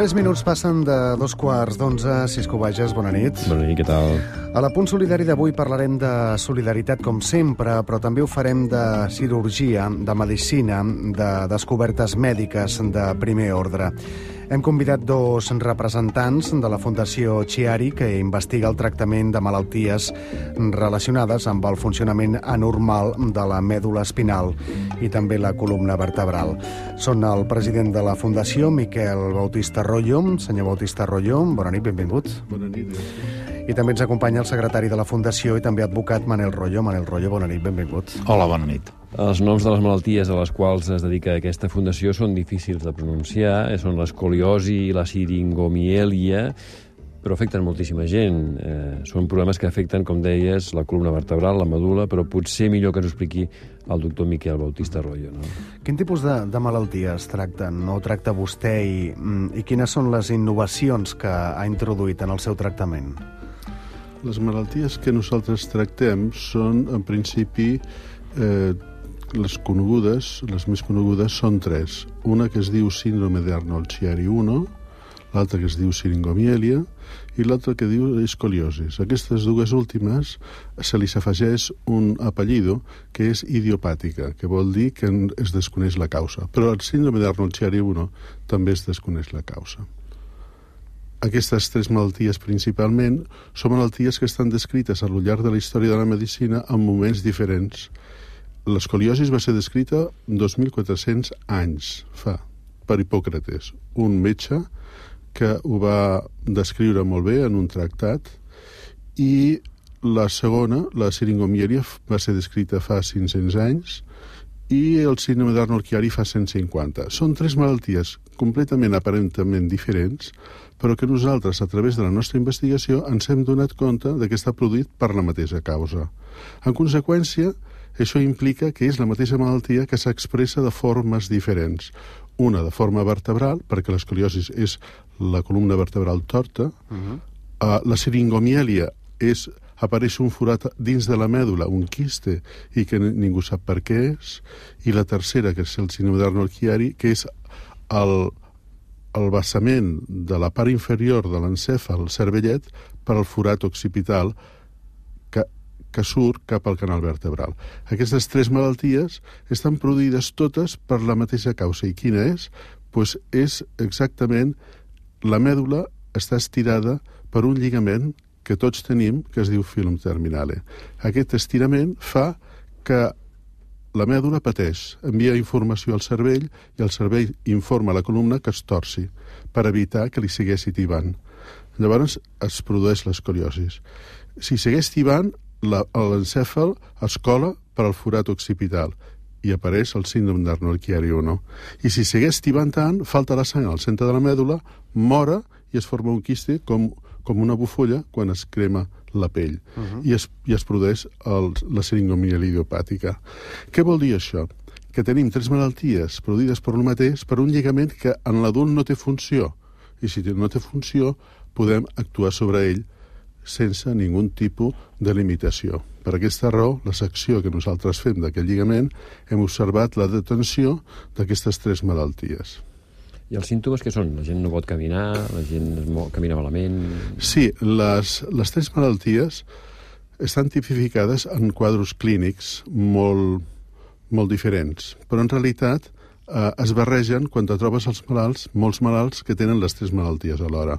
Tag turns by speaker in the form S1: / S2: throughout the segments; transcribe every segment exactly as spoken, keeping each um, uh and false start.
S1: Tres minuts passen de dos quarts d'onze. Cisco Bages, bona nit.
S2: Bona nit, què tal?
S1: A la Punt Solidari d'avui parlarem de solidaritat com sempre, però també ho farem de cirurgia, de medicina, de descobertes mèdiques de primer ordre. Hem convidat dos representants de la Fundació Chiari, que investiga el tractament de malalties relacionades amb el funcionament anormal de la mèdula espinal i també la columna vertebral. Són el president de la Fundació, Miquel Bautista Royo. Senyor Bautista Royo, bona nit, benvingut.
S3: Bona nit.
S1: I també ens acompanya el secretari de la Fundació i també advocat Manel Royo. Manel Royo, bona nit, benvingut.
S4: Hola, bona nit.
S2: Els noms de les malalties a les quals es dedica aquesta fundació són difícils de pronunciar, són l'escoliosi i la siringomielia, però afecten moltíssima gent. Eh, són problemes que afecten, com deies, la columna vertebral, la medul·la, però potser millor que ens ho expliqui el doctor Miquel Bautista Royo, no?
S1: Quin tipus de, de malalties tracten o tracta vostè i, i quines són les innovacions que ha introduït en el seu tractament?
S3: Les malalties que nosaltres tractem són, en principi, eh, les conegudes, les més conegudes són tres. Una que es diu síndrome d'Arnold-Chiari u, l'altra que es diu siringomielia i l'altra que diu escoliosis. Aquestes dues últimes se li s'afegeix un apellido que és idiopàtica, que vol dir que es desconeix la causa. Però el síndrome d'Arnold-Chiari u també es desconeix la causa. Aquestes tres malalties principalment són malalties que estan descrites al llarg de la història de la medicina en moments diferents. L'escoliosis va ser descrita dos mil quatre-cents anys fa, per Hipòcrates, un metge que ho va descriure molt bé en un tractat, i la segona, la siringomielia, va ser descrita fa cinc-cents anys, i el síndrome d'Arnold-Chiari fa cent cinquanta. Són tres malalties completament, aparentment diferents, però que nosaltres, a través de la nostra investigació, ens hem donat compte de que està produït per la mateixa causa. En conseqüència, això implica que és la mateixa malaltia que s'expressa de formes diferents. Una de forma vertebral, perquè l'escoliosis és la columna vertebral torta, uh-huh. uh, la siringomielia és apareix un forat dins de la mèdula, un quiste, i que ningú sap per què és, i la tercera, que és el síndrome d'Arnold-Chiari, que és el, el vessament de la part inferior de l'encèfal cervellet per al forat occipital que, que surt cap al canal vertebral. Aquestes tres malalties estan produïdes totes per la mateixa causa. I quina és? Pues és exactament la mèdula està estirada per un lligament que tots tenim, que es diu filum terminale. Aquest estirament fa que la mèdula pateix, envia informació al cervell i el cervell informa a la columna que es torci per evitar que li segueixi tibant. Llavors es produeix l'escoliosis. Si segueix tibant, l'encèfal es cola per al forat occipital i apareix el síndrome d'Arnold-Chiari u. I si segueix tibant tant, falta la sang al centre de la mèdula, mora i es forma un quiste com com una bufolla quan es crema la pell, uh-huh. i, es, i es produeix el, la siringomielia idiopàtica. Què vol dir això? Que tenim tres malalties produïdes per un mateix, per un lligament que en l'adult no té funció, i si no té funció podem actuar sobre ell sense ningú tipus de limitació. Per aquesta raó, la secció que nosaltres fem d'aquest lligament, hem observat la detenció d'aquestes tres malalties.
S2: I els símptomes què són? La gent no pot caminar, la gent camina malament...
S3: Sí, les, les tres malalties estan tipificades en quadres clínics molt, molt diferents, però en realitat eh, es barregen quan te trobes els malalts, molts malalts que tenen les tres malalties alhora.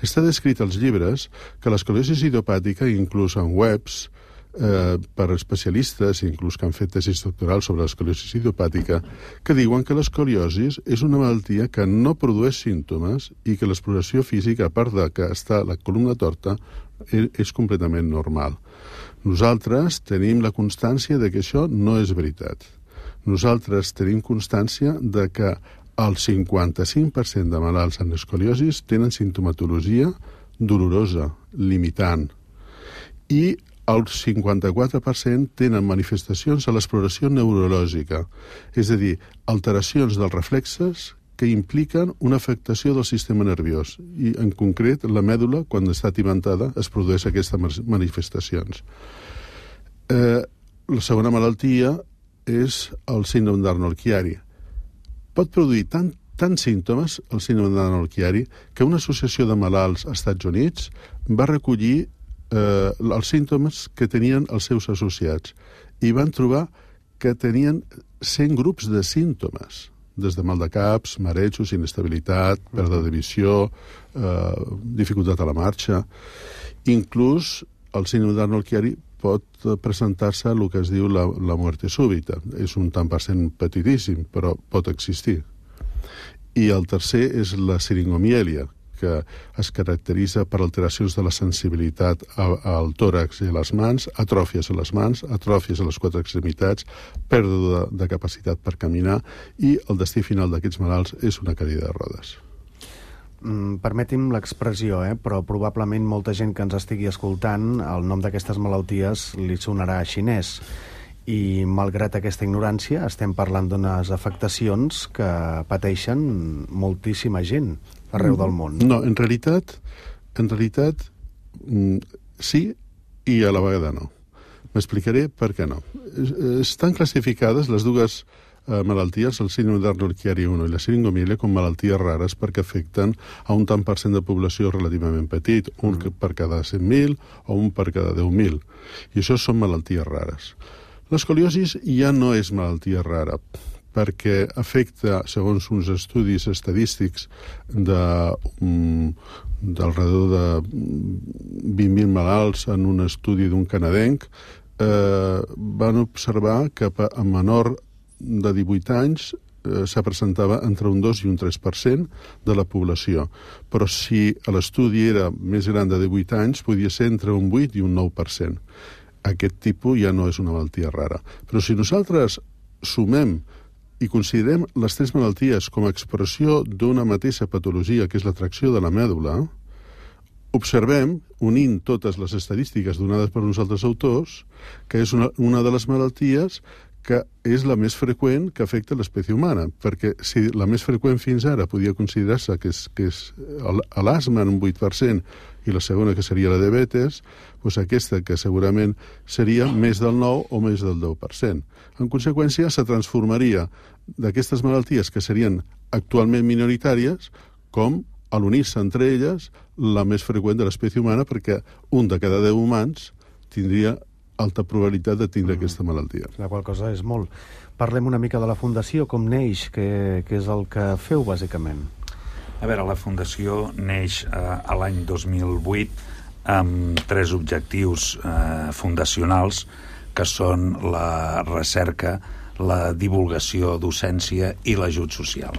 S3: Està descrit als llibres que l'escoliosi idiopàtica, inclús en webs, Eh, per especialistes, inclús que han fet tesis doctorals sobre l'escoliosi idiopàtica, que diuen que l'escoliosi és una malaltia que no produeix símptomes i que l'exploració física, a part de que està la columna torta, és, és completament normal. Nosaltres tenim la constància de que això no és veritat. Nosaltres tenim constància de que el cinquanta-cinc per cent de malalts amb escoliosi tenen simptomatologia dolorosa, limitant, i el cinquanta-quatre per cent tenen manifestacions a l'exploració neurològica, és a dir, alteracions dels reflexes que impliquen una afectació del sistema nerviós, i en concret la mèdula, quan està tibantada, es produeix aquestes manifestacions. Eh, la segona malaltia és el síndrome d'Arnold-Chiari. Pot produir tant tants símptomes, el síndrome de Nanon-Chiari, que una associació de malalts als Estats Units va recollir eh, els símptomes que tenien els seus associats i van trobar que tenien cent grups de símptomes, des de mal de caps, marejos, inestabilitat, pèrdua de visió, eh, dificultat a la marxa. Inclús el síndrome de Nanon-Chiari pot presentar-se el que es diu la, la muerte súbita. És un tant per cent petitíssim, però pot existir. I el tercer és la siringomielia, que es caracteritza per alteracions de la sensibilitat al tòrax i a les mans, atròfies a les mans, atròfies a les quatre extremitats, pèrdua de, de capacitat per caminar, i el destí final d'aquests malalts és una cadira de rodes.
S1: Mm, permeti'm l'expressió, eh? però probablement molta gent que ens estigui escoltant, el nom d'aquestes malalties li sonarà xinès. I, malgrat aquesta ignorància, estem parlant d'unes afectacions que pateixen moltíssima gent arreu del món.
S3: No, en realitat, en realitat sí i a la vegada no. M'explicaré per què no. Estan classificades les dues eh, malalties, el síndrome de Nanon-Chiari u i la siringomielia, com malalties rares perquè afecten a un tant per cent de població relativament petit, un mm. per cada cent mil o un per cada deu mil. I això són malalties rares. L'escoliosi ja no és malaltia rara, perquè afecta, segons uns estudis estadístics de, um, d'alrededor de vint mil malalts en un estudi d'un canadenc, eh, van observar que a menor de divuit anys eh, se presentava entre un dos i un tres per cent de la població. Però si l'estudi era més gran de divuit anys, podia ser entre un vuit i un nou per cent. Aquest tipus ja no és una malaltia rara. Però si nosaltres sumem i considerem les tres malalties com a expressió d'una mateixa patologia, que és l'atracció de la mèdula, observem, unint totes les estadístiques donades per uns altres autors, que és una, una de les malalties que és la més freqüent que afecta l'espècie humana, perquè si la més freqüent fins ara podia considerar-se que és, que és l'asma en un vuit per cent i la segona que seria la diabetes, doncs aquesta que segurament seria més del nou o més del deu per cent. En conseqüència, se transformaria d'aquestes malalties que serien actualment minoritàries com, a l'unir-se entre elles, la més freqüent de l'espècie humana, perquè un de cada deu humans tindria alta probabilitat de tindre mm. aquesta malaltia.
S1: La qual cosa és molt. Parlem una mica de la Fundació, com neix, que, que és el que feu, bàsicament.
S4: A veure, la Fundació neix eh, a l'any dos mil vuit amb tres objectius eh, fundacionals, que són la recerca, la divulgació, docència i l'ajut social.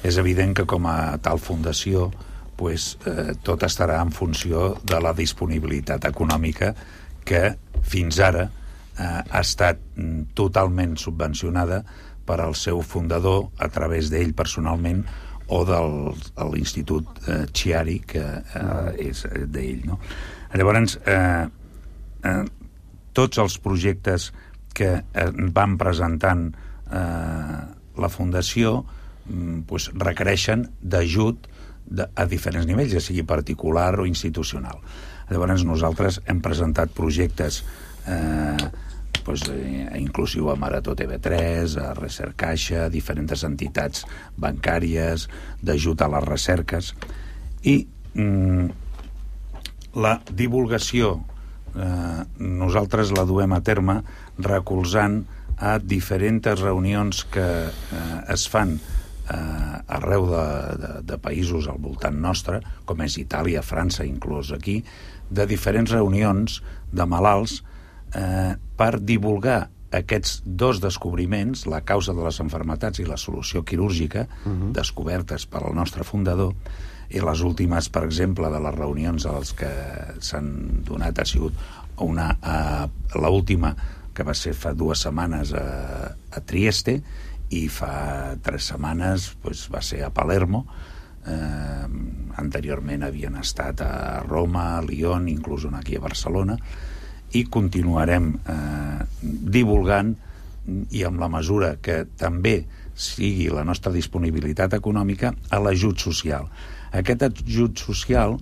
S4: És evident que com a tal fundació pues, eh, tot estarà en funció de la disponibilitat econòmica que fins ara eh, ha estat totalment subvencionada per al seu fundador a través d'ell personalment o de l'Institut eh, Chiari, que eh, és d'ell. No? Llavors, eh, eh, tots els projectes que eh, van presentant eh, la Fundació eh, pues, requereixen d'ajut a diferents nivells, ja sigui particular o institucional. Llavors nosaltres hem presentat projectes eh, pues, eh, inclusiu a Marató T V tres, a Recercaixa, a diferents entitats bancàries, d'ajut a les recerques, i mm, la divulgació eh, nosaltres la duem a terme recolzant a diferents reunions que eh, es fan eh, arreu de, de, de països al voltant nostre, com és Itàlia, França, inclús aquí, de diferents reunions de malalts eh, per divulgar aquests dos descobriments, la causa de les malalties i la solució quirúrgica, uh-huh. descobertes per al nostre fundador, i les últimes, per exemple, de les reunions a les que s'han donat ha sigut una, uh, l'última, que va ser fa dues setmanes a, a Trieste, i fa tres setmanes pues, va ser a Palermo. Eh, anteriorment havien estat a Roma, a Lyon, inclús una aquí a Barcelona, i continuarem eh, divulgant, i amb la mesura que també sigui la nostra disponibilitat econòmica, a l'ajut social. Aquest ajut social,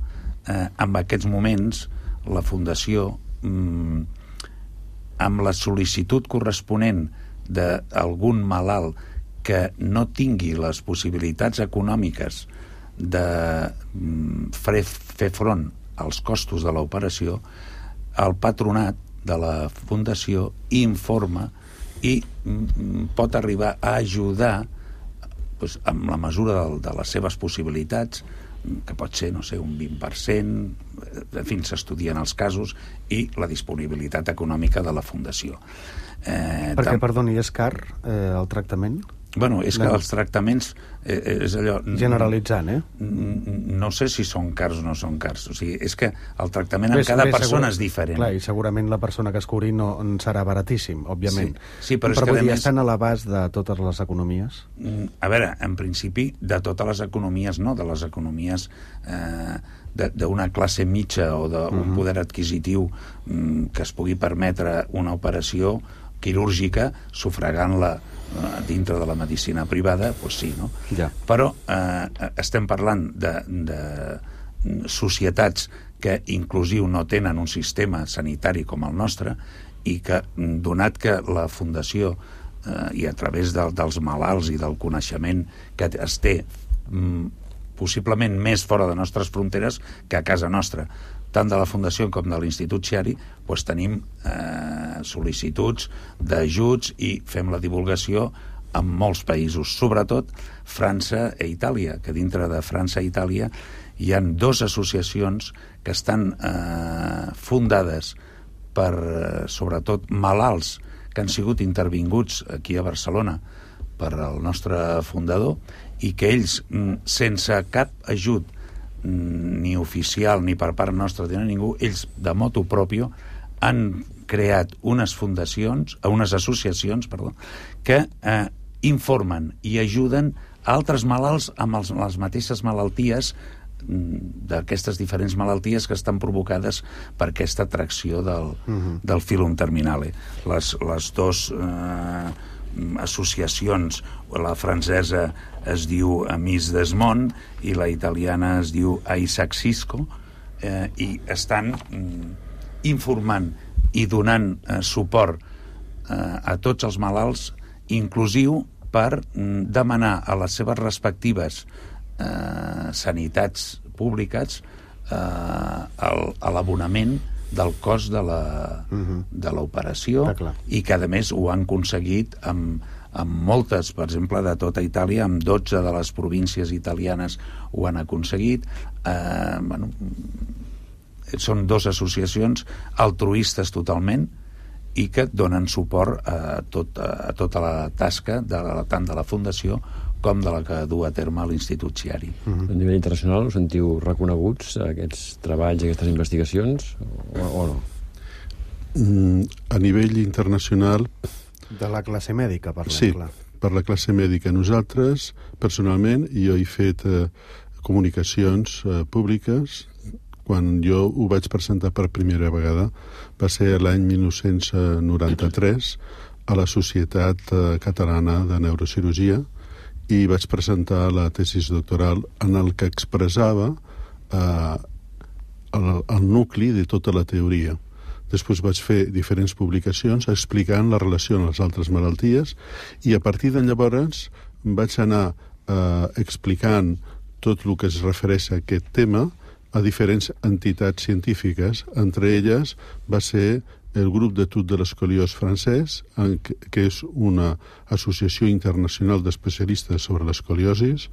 S4: eh, en aquests moments, la Fundació, mm, amb la sol·licitud corresponent d'algun malalt que no tingui les possibilitats econòmiques de fer front als costos de l'operació, el patronat de la fundació informa i pot arribar a ajudar doncs, amb la mesura de, de les seves possibilitats, que pot ser, no sé, un vint per cent, en fi, s'estudien els casos, i la disponibilitat econòmica de la fundació.
S1: Eh, Perquè, tam... perdoni, és car eh, el tractament?
S4: Bueno, és que els tractaments eh, és allò...
S1: Generalitzant, eh?
S4: No sé si són cars o no són cars. O sigui, és que el tractament en cada persona és diferent.
S1: Clar, i segurament la persona que es cobri no serà baratíssim, òbviament.
S4: Sí, sí, però,
S1: però
S4: és que
S1: vull dir,
S4: més...
S1: estan a l'abast de totes les economies?
S4: A veure, en principi, de totes les economies no, de les economies eh, d'una classe mitja o d'un uh-huh. poder adquisitiu mm, que es pugui permetre una operació quirúrgica sufragant-la dintre de la medicina privada, doncs sí, no?
S1: Ja.
S4: Però eh, estem parlant de, de societats que inclusiu no tenen un sistema sanitari com el nostre i que, donat que la fundació eh, i a través de, dels malalts i del coneixement que es té mm, possiblement més fora de nostres fronteres que a casa nostra, tant de la Fundació com de l'Institut Chiari, doncs tenim eh, sol·licituds d'ajuts i fem la divulgació en molts països, sobretot França i Itàlia, que dintre de França i Itàlia hi han dues associacions que estan eh, fundades per, eh, sobretot, malalts que han sigut intervinguts aquí a Barcelona per al nostre fundador i que ells, sense cap ajut ni oficial ni per part nostra de ningú, ells de motu propio han creat unes fundacions, unes associacions, perdó, que eh, informen i ajuden a altres malalts amb els, les mateixes malalties d'aquestes diferents malalties que estan provocades per aquesta atracció del, uh-huh. del filum terminale. Les, les dos eh, associacions, la francesa es diu Amis Desmond i la italiana es diu Isaac Cisco, eh, i estan mm, informant i donant eh, suport eh, a tots els malalts, inclusiu per mm, demanar a les seves respectives eh, sanitats públiques eh, l'abonament del cost de la, uh-huh. de l'operació, i que a més ho han aconseguit amb, amb moltes, per exemple, de tota Itàlia, amb dotze de les províncies italianes ho han aconseguit. Eh, bueno, són dues associacions altruistes totalment i que donen suport a, tot, a tota la tasca de la, tant de la Fundació com de la que du a terme l'Institut Chiari.
S2: Uh-huh. A nivell internacional us sentiu reconeguts aquests treballs, aquestes investigacions, o, o no?
S3: Mm, a nivell internacional...
S1: De la classe mèdica, parlem,
S3: sí,
S1: clar.
S3: Per la classe mèdica. Nosaltres, personalment, jo he fet eh, comunicacions eh, públiques. Quan jo ho vaig presentar per primera vegada va ser l'any mil nou-cents noranta-tres a la Societat eh, Catalana de Neurocirurgia, i vaig presentar la tesis doctoral en el que expressava eh, el, el nucli de tota la teoria. Després vaig fer diferents publicacions explicant la relació amb les altres malalties, i a partir de llavors vaig anar eh, explicant tot el que es refereix a aquest tema a diferents entitats científiques. Entre elles va ser el grup d'etude de l'escoliós francès, que és una associació internacional d'especialistes sobre l'escoliosis.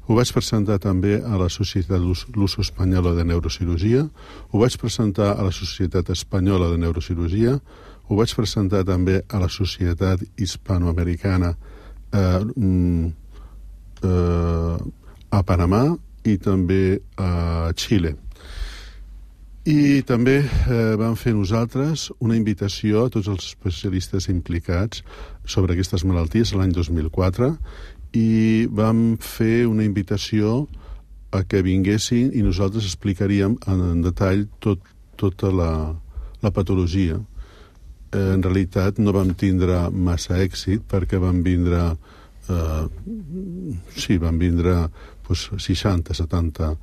S3: Ho vaig presentar també a la Societat Luso-Espanyola de Neurocirurgia, ho vaig presentar a la Societat Espanyola de Neurocirurgia, ho vaig presentar també a la Societat Hispanoamericana eh, eh, a Panamà i també a Xile. I també eh, vam fer nosaltres una invitació a tots els especialistes implicats sobre aquestes malalties l'any dos mil quatre, i vam fer una invitació a que vinguessin i nosaltres explicaríem en detall tot, tota la, la patologia. Eh, en realitat no vam tindre massa èxit perquè van vindre eh, sí, van vindre pues, seixanta, setanta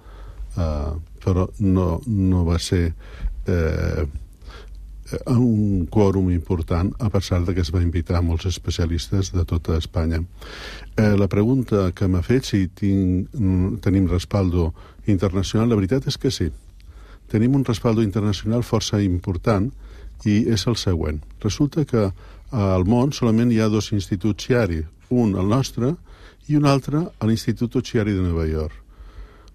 S3: Uh, però no, no va ser eh, un quòrum important, a pesar de que es va invitar molts especialistes de tota Espanya. Eh, la pregunta que m'ha fet, si tinc, tenim respaldo internacional, la veritat és que sí. Tenim un respaldo internacional força important i és el següent. Resulta que al món solament hi ha dos instituts Chiari, un el nostre i un altre a l'Institut Chiari de Nova York.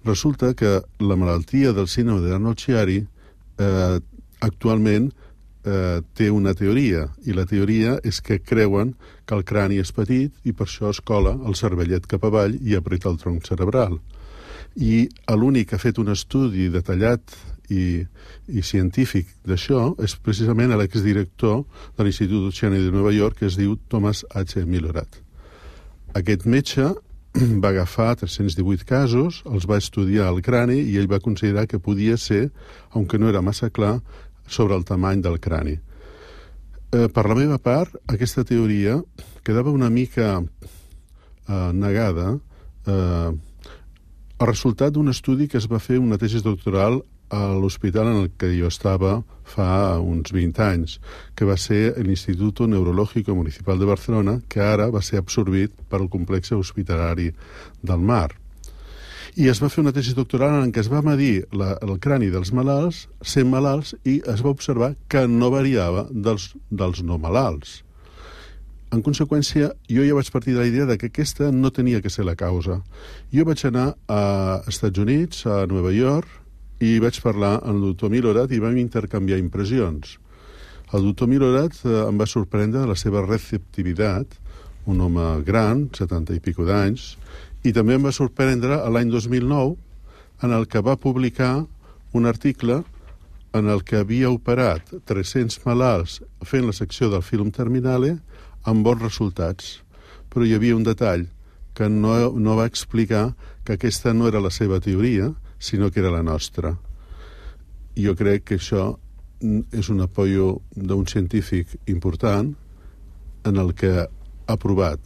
S3: Resulta que la malaltia del síndrome d'Arnold Chiari eh, actualment eh, té una teoria, i la teoria és que creuen que el crani és petit i per això es cola el cervellet cap avall i apreta el tronc cerebral. I l'únic que ha fet un estudi detallat i, i científic d'això és precisament l'exdirector de l'Institut Chiari de Nova York, que es diu Thomas H. Milhorat. Aquest metge va agafar tres-cents divuit casos, els va estudiar el crani i ell va considerar que podia ser, aunque no era massa clar, sobre el tamany del crani. Eh, per la meva part, aquesta teoria quedava una mica eh, negada eh, el resultat d'un estudi que es va fer, una tesi doctoral, a l'hospital en el que jo estava fa uns vint anys, que va ser l'Institut Neurològic Municipal de Barcelona, que ara va ser absorbit per el complex hospitalari del Mar. I es va fer una tesi doctoral en què es va medir la, el crani dels malalts, cent malalts, i es va observar que no variava dels, dels no malalts. En conseqüència, jo ja vaig partir de la idea de que aquesta no tenia que ser la causa. Jo vaig anar a Estats Units, a Nova York, i vaig parlar amb el doctor Milhorat i vam intercanviar impressions. El doctor Milhorat eh, em va sorprendre de la seva receptivitat, un home gran, setanta i pico d'anys, i també em va sorprendre l'any dos mil nou, en el que va publicar un article en el que havia operat tres-cents malalts fent la secció del film terminale amb bons resultats. Però hi havia un detall, que no, no va explicar que aquesta no era la seva teoria, sinó que era la nostra. Jo crec que això és un apoyo d'un científic important en el que ha provat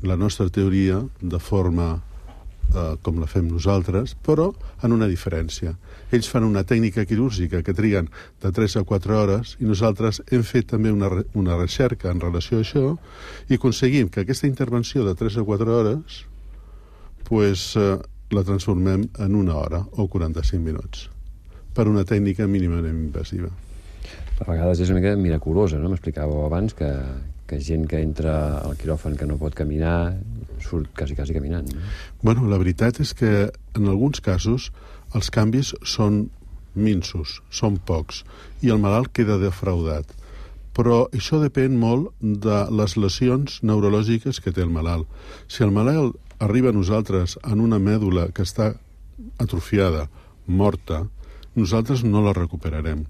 S3: la nostra teoria de forma eh, com la fem nosaltres, però en una diferència. Ells fan una tècnica quirúrgica que triguen de tres a quatre hores i nosaltres hem fet també una, una recerca en relació a això i aconseguim que aquesta intervenció de tres a quatre hores pues, eh, la transformem en una hora o quaranta-cinc minuts per una tècnica mínimament invasiva.
S2: A vegades és una mica miraculosa, no? M'explicàveu abans que, que gent que entra al quiròfan que no pot caminar surt quasi, quasi caminant. No?
S3: Bueno, la veritat és que en alguns casos els canvis són minsos, són pocs, i el malalt queda defraudat. Però això depèn molt de les lesions neurològiques que té el malalt. Si el malalt arriba a nosaltres en una mèdula que està atrofiada, morta, nosaltres no la recuperarem,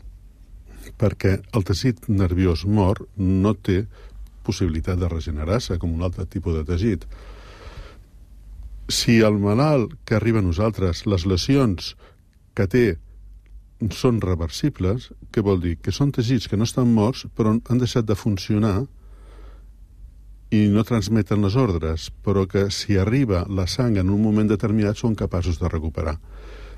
S3: perquè el teixit nerviós mort no té possibilitat de regenerar-se com un altre tipus de teixit. Si el malalt que arriba a nosaltres, les lesions que té són reversibles, què vol dir? Que són teixits que no estan morts però han deixat de funcionar i no transmeten les ordres, però que si arriba la sang en un moment determinat són capaços de recuperar.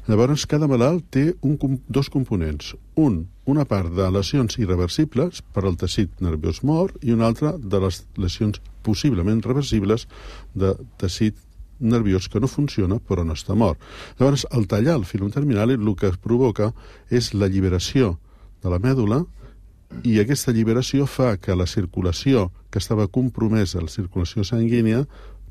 S3: Llavors, cada malalt té un, dos components. Un, una part de lesions irreversibles per al teixit nerviós mort i una altra de les lesions possiblement reversibles de teixit nerviós que no funciona però no està mort. Llavors, al tallar el filum terminal el que es provoca és l'alliberació de la mèdula i aquesta alliberació fa que la circulació que estava compromesa, la circulació sanguínia,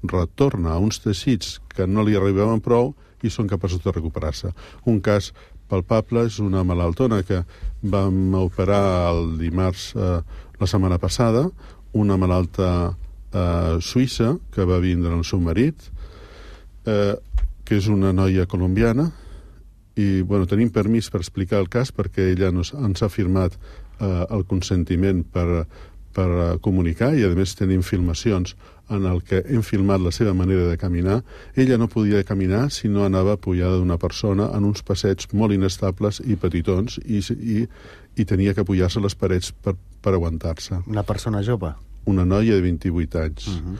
S3: retorna a uns teixits que no li arribaven prou i són capaços de recuperar-se. Un cas palpable és una malaltona que vam operar el dimarts eh, la setmana passada, una malalta eh, suïssa que va vindre el seu marit, eh, que és una noia colombiana, i bueno, tenim permís per explicar el cas perquè ella nos, ens ha firmat eh, el consentiment per, per comunicar i a més tenim filmacions en el que hem filmat la seva manera de caminar. Ella no podia caminar si no anava apoyada d'una persona en uns passeigs molt inestables i petitons i, i, i tenia que apoyar-se a les parets per, per aguantar-se.
S1: Una persona jove?
S3: Una noia de vint-i-vuit anys.
S1: Uh-huh.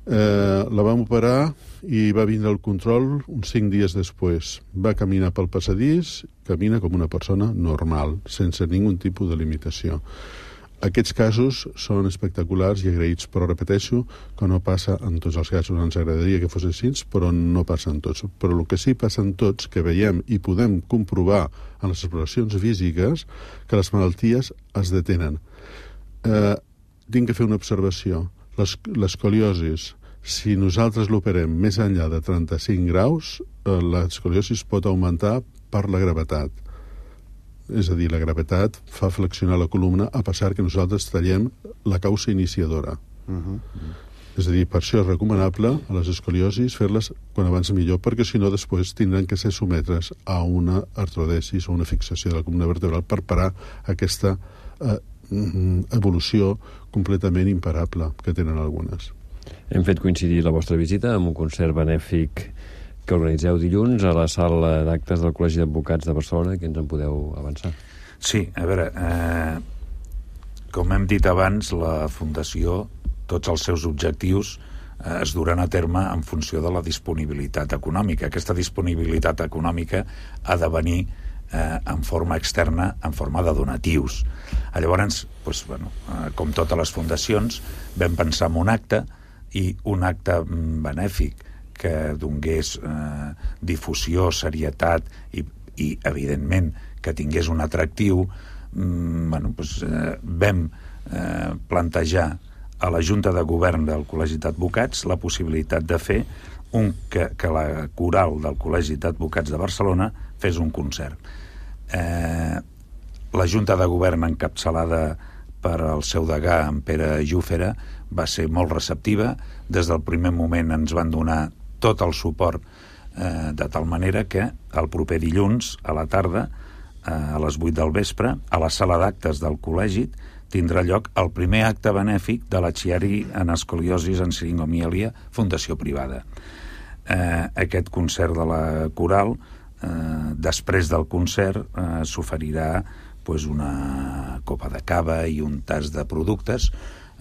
S3: Eh, la vam operar i va vindre el control uns cinc dies després. Va caminar pel passadís, camina com una persona normal, sense ningun tipus de limitació. Aquests casos són espectaculars i agraïts, però repeteixo que no passa en tots els casos. Ens agradaria que fos així, però no passa en tots. Però el que sí passa en tots, que veiem i podem comprovar en les exploracions físiques, que les malalties es detenen. Eh, tinc que fer una observació. L'escoliosis, si nosaltres l'operem més enllà de trenta-cinc graus, eh, l'escoliosis pot augmentar per la gravetat. És a dir, la gravetat fa flexionar la columna a pesar que nosaltres tallem la causa iniciadora. Uh-huh. És a dir, per això és recomanable a les escoliosis fer-les quan abans millor, perquè si no després tindran que ser sometres a una artrodesis o una fixació de la columna vertebral per parar aquesta eh, evolució completament imparable que tenen algunes.
S2: Hem fet coincidir la vostra visita amb un concert benèfic que organitzeu dilluns a la sala d'actes del Col·legi d'Advocats de Barcelona, que ens en podeu avançar.
S4: Sí, a veure, eh, com hem dit abans, la Fundació, tots els seus objectius eh, es duran a terme en funció de la disponibilitat econòmica. Aquesta disponibilitat econòmica ha de venir eh, en forma externa, en forma de donatius. Llavors, doncs, bueno, eh, com totes les fundacions, vam pensar en un acte, i un acte benèfic que donés eh, difusió, serietat i, i, evidentment, que tingués un atractiu, mm, bueno, doncs, eh, vam eh, plantejar a la Junta de Govern del Col·legi d'Advocats la possibilitat de fer un, que, que la coral del Col·legi d'Advocats de Barcelona fes un concert. Eh, la Junta de Govern, encapçalada per el seu degà, en Pere Júfera, va ser molt receptiva. Des del primer moment ens van donar tot el suport, eh, de tal manera que el proper dilluns a la tarda, eh, a les vuit del vespre, a la sala d'actes del col·legi tindrà lloc el primer acte benèfic de la Chiari en escoliosis en siringomielia, fundació privada. Eh, aquest concert de la coral, eh, després del concert, eh, s'oferirà pues, una copa de cava i un tas de productes.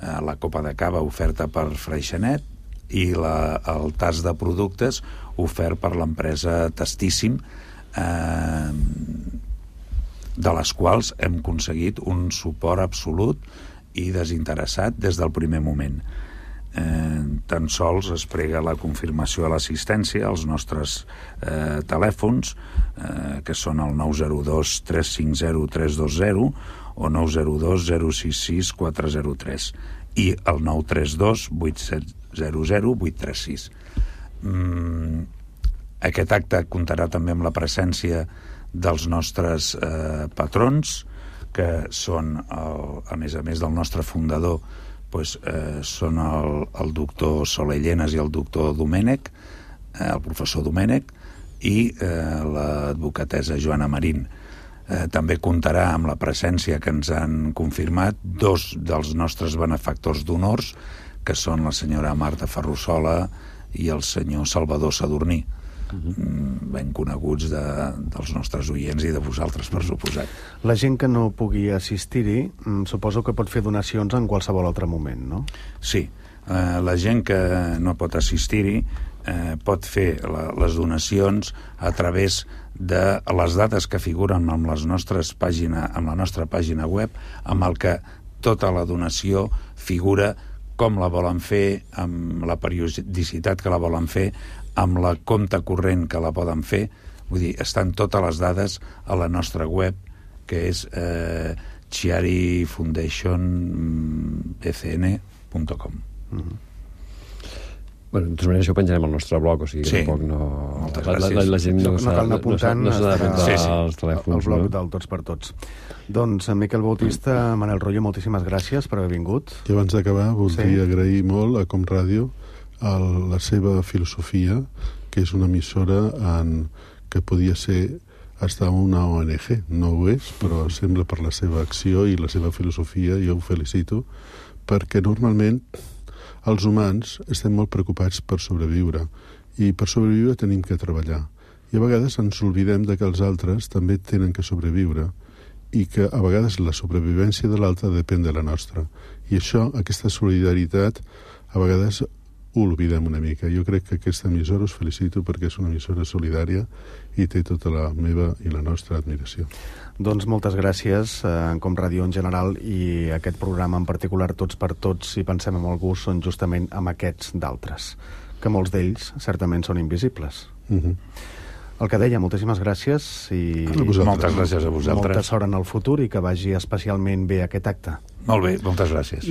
S4: Eh, la copa de cava oferta per Freixenet i la, el tas de productes ofert per l'empresa Tastíssim, eh, de les quals hem aconseguit un suport absolut i desinteressat des del primer moment. Eh, tan sols es prega la confirmació de l'assistència als nostres eh, telèfons, eh, que són el nou zero dos tres cinc zero tres dos zero o nou zero dos zero sis sis quatre zero tres i el nou tres dos vuit set zero zero vuit tres sis. Mm, aquest acte comptarà també amb la presència dels nostres eh, patrons, que són, el, a més a més del nostre fundador, pues, eh, són el, el doctor Soler Llenas i el doctor Domènech, eh, el professor Domènech, i eh, l'advocatessa Joana Marín. Eh, també comptarà amb la presència que ens han confirmat dos dels nostres benefactors d'honors, que són la senyora Marta Ferrusola i el senyor Salvador Sadurní, uh-huh. ben coneguts de, dels nostres oients i de vosaltres, per suposat.
S1: La gent que no pugui assistir-hi, suposo que pot fer donacions en qualsevol altre moment, no?
S4: Sí, eh, la gent que no pot assistir-hi eh, pot fer la, les donacions a través de les dades que figuren amb, les nostres pàgina, amb la nostra pàgina web, amb el que tota la donació figura com la volen fer, amb la periodicitat que la volen fer, amb la compte corrent que la poden fer. Vull dir, estan totes les dades a la nostra web, que és eh, chiari foundation b c n punt com. Mm-hmm.
S2: Bueno, de tota manera, això ho penjarem al nostre blog, o sigui que
S4: sí.
S2: tampoc no...
S4: Moltes
S2: la, la, la, la gent no,
S1: no, no cal anar apuntant,
S2: no s'ha d'apuntar
S1: sí, sí.
S2: als telèfons.
S1: El blog
S2: no?
S1: del Tots per Tots. Doncs, Miquel Bautista, Manel Royo, moltíssimes gràcies per haver vingut.
S3: I abans d'acabar, voldria
S1: sí.
S3: agrair molt a Com Ràdio el, la seva filosofia, que és una emissora en, que podia ser hasta una O N G. No ho és, però sembla per la seva acció i la seva filosofia, jo ho felicito, perquè normalment els humans estem molt preocupats per sobreviure, i per sobreviure tenim que treballar. I a vegades ens oblidem de que els altres també tenen que sobreviure, i que a vegades la sobrevivència de l'altre depèn de la nostra. I això, aquesta solidaritat, a vegades ho oblidem una mica. Jo crec que aquesta emissora us felicito perquè és una emissora solidària i té tota la meva i la nostra admiració.
S1: Doncs moltes gràcies, eh, Com Ràdio en general, i aquest programa en particular, Tots per Tots, si pensem en el gust, són justament amb aquests d'altres, que molts d'ells certament són invisibles.
S3: Uh-huh.
S1: El que deia, moltíssimes gràcies i
S4: moltes gràcies a vosaltres.
S1: Molta sort en el futur i que vagi especialment bé aquest acte.
S4: Molt bé, moltes gràcies.